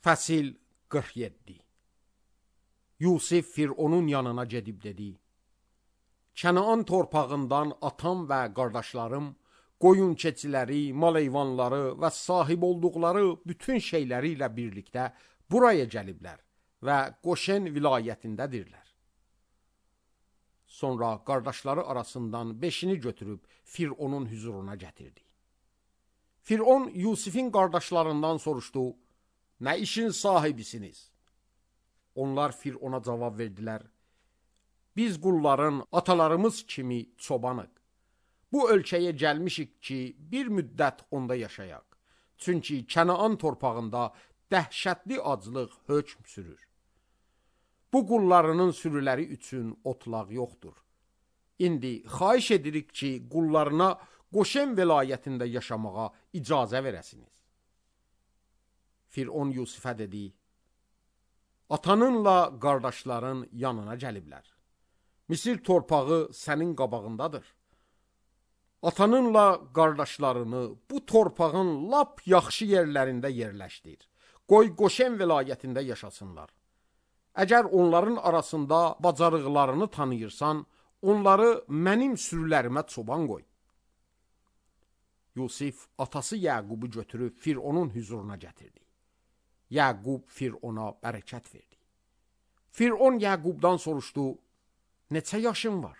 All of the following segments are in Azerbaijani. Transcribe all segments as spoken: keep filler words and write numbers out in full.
Fəsil qırx yeddi. Yusif Fironun yanına gedib dedi: Kənaan torpağından atam və qardaşlarım, qoyun keçiləri, mal heyvanları və sahib olduqları bütün şeyləri ilə birlikdə buraya gəliblər və Qoşen vilayətindədirlər. Sonra qardaşları arasından beşini götürüb Fironun huzuruna gətirdi. Firon Yusifin qardaşlarından soruşdu: Nə işin sahibisiniz? Onlar Firona cavab verdilər: Biz qulların atalarımız kimi çobanıq. Bu ölkəyə gəlmişik ki, bir müddət onda yaşayaq. Çünki Kənaan torpağında dəhşətli aclıq hökm sürür. Bu qullarının sürüləri üçün otlaq yoxdur. İndi xahiş edirik ki, qullarına Qoşen vilayətində yaşamağa icazə verəsiniz. Firon Yusifə dedi: Atanınla qardaşların yanına gəliblər. Misir torpağı sənin qabağındadır. Atanınla qardaşlarını bu torpağın lap yaxşı yerlərində yerləşdir. Qoy Qoşen vilayətində yaşasınlar. Əgər onların arasında bacarıqlarını tanıyırsan, onları mənim sürülərimə çoban qoy. Yusif atası Yəqubu götürüb Fironun huzuruna gətirdi. Yəqub Firona bərəkət verdi. Firon Yəqubdan soruşdu: Neçə yaşın var?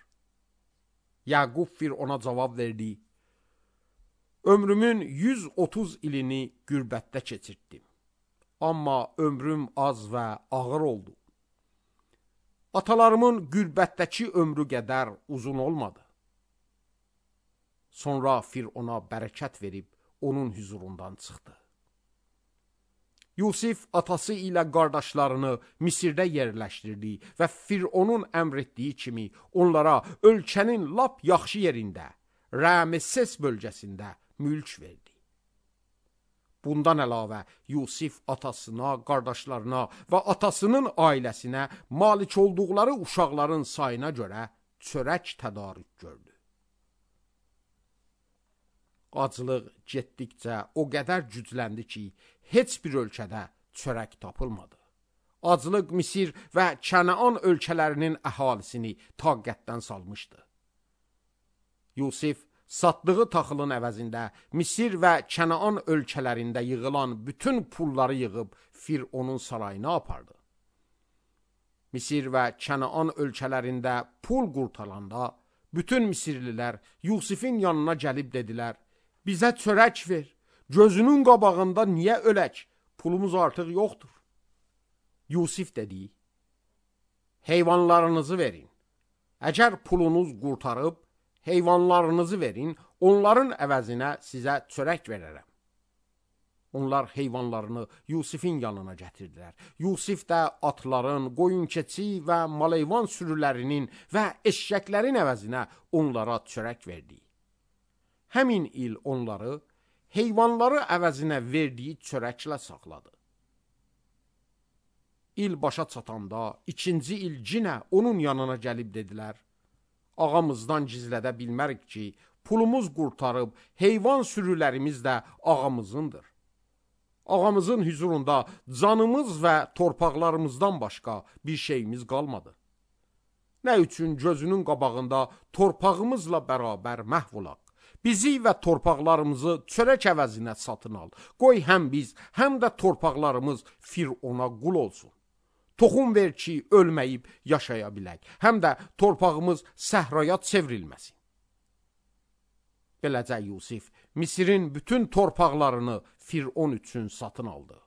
Yəqub Firona cavab verdi: Ömrümün yüz otuz ilini qürbətdə keçirtdim. Amma ömrüm az və ağır oldu. Atalarımın qürbətdəki ömrü qədər uzun olmadı. Sonra Firona bərəkət verib onun huzurundan çıxdı. Yusif atası ilə qardaşlarını Misirdə yerləşdirdi və Fironun əmr etdiyi kimi onlara ölkənin lap yaxşı yerində, Ramesses bölgəsində mülk verdi. Bundan əlavə Yusif atasına, qardaşlarına və atasının ailəsinə malik olduqları uşaqların sayına görə çörək tədarük gördü. Aclıq getdikcə o qədər gücləndi ki, heç bir ölkədə çörək tapılmadı. Aclıq Misir və Kənaan ölkələrinin əhalisini taqətdən salmışdı. Yusif satdığı taxılın əvəzində Misir və Kənaan ölkələrində yığılan bütün pulları yığıb Fironun sarayına apardı. Misir və Kənaan ölkələrində pul qurtaranda bütün Misirlilər Yusifin yanına gəlib dedilər: Bizə çörək ver, gözünün qabağında niyə ölək, pulumuz artıq yoxdur. Yusif dedi: Heyvanlarınızı verin. Əgər pulunuz qurtarıb, heyvanlarınızı verin, onların əvəzinə sizə çörək verərəm. Onlar heyvanlarını Yusifin yanına gətirdilər. Yusif də atların, qoyun-keçi və mal-heyvan sürülərinin və eşşəklərin əvəzinə onlara çörək verdi. Həmin il onları heyvanları əvəzinə verdiyi çörəklə saxladı. İl başa çatanda ikinci il cinə onun yanına gəlib dedilər: Ağamızdan gizlədə bilmərik ki, pulumuz qurtarıb, heyvan sürülərimiz də ağamızındır. Ağamızın huzurunda canımız və torpaqlarımızdan başqa bir şeyimiz qalmadı. Nə üçün gözünün qabağında torpağımızla bərabər məhv olaq? Bizi və torpaqlarımızı çörək əvəzinə satın al. Qoy həm biz, həm də torpaqlarımız Firona qul olsun. Toxum ver ki, ölməyib yaşaya bilək. Həm də torpağımız səhraya çevrilməsin. Beləcə Yusif Misirin bütün torpaqlarını Firon üçün satın aldı.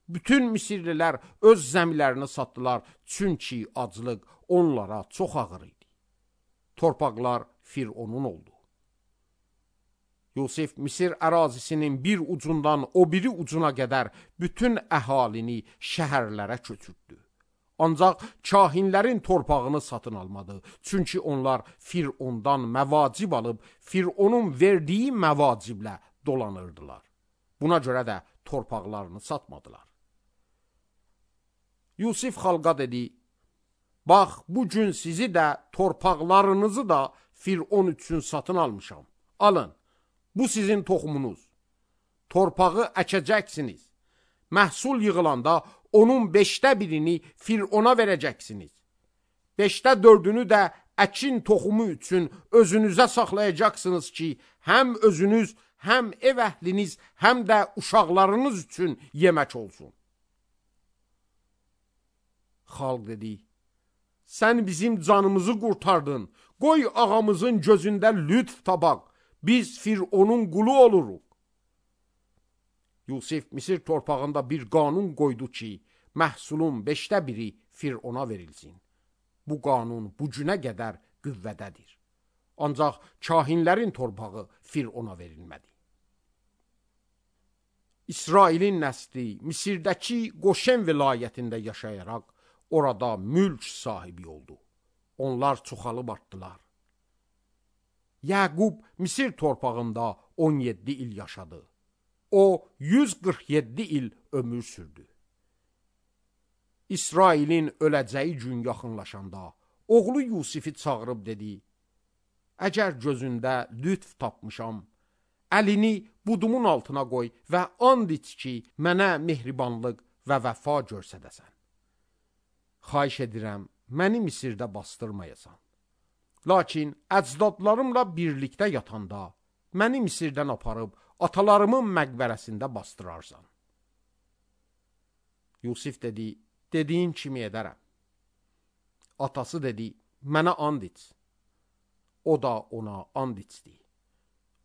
Bütün Misirlilər öz zəmilərini satdılar, çünki aclıq onlara çox ağır idi. Torpaqlar Fironun oldu. Yusif Misir ərazisinin bir ucundan o biri ucuna qədər bütün əhalini şəhərlərə köçürtdü. Ancaq kahinlərin torpağını satın almadı. Çünki onlar Firondan məvacib alıb, Fironun verdiyi məvaciblə dolanırdılar. Buna görə də torpaqlarını satmadılar. Yusif xalqa dedi: Bax, bu gün sizi də, torpaqlarınızı da Firon üçün satın almışam. Alın. Bu sizin toxumunuz. Torpağı əkəcəksiniz. Məhsul yığılanda onun beşdə birini Firona verəcəksiniz. Beşdə dördünü də əkin toxumu üçün özünüzə saxlayacaqsınız ki, həm özünüz, həm ev əhliniz, həm də uşaqlarınız üçün yemək olsun. Xalq dedi, sən bizim canımızı qurtardın, qoy ağamızın gözündə lütf tabaq, biz Fironun qulu oluruq. Yusif Misir torpağında bir qanun qoydu ki, məhsulun beşdə biri Firona verilsin. Bu qanun bu günə qədər qüvvədədir. Ancaq kahinlərin torpağı Firona verilmədi. İsrailin nəsli Misirdəki Qoşen vilayətində yaşayaraq orada mülk sahibi oldu. Onlar çoxalıb artdılar. Yaqub Misir torpağında on yeddi il yaşadı. O yüz qırx yeddi il ömür sürdü. İsrailin öləcəyi gün yaxınlaşanda oğlu Yusifi çağırıb dedi, əgər gözündə lütf tapmışam, əlini budumun altına qoy və and iç ki, mənə mehribanlıq və vəfa görsədəsən. Xahiş edirəm, məni Misirdə bastırmayasan. Lakin əcdadlarımla birlikdə yatanda, məni Misirdən aparıb atalarımın məqbərəsində bastırarsan. Yusif dedi, dediyin kimi edərəm. Atası dedi, mənə and iç. O da ona and içdi.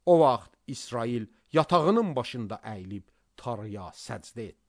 O vaxt İsrail yatağının başında əyilib Tanrıya səcdə etdi.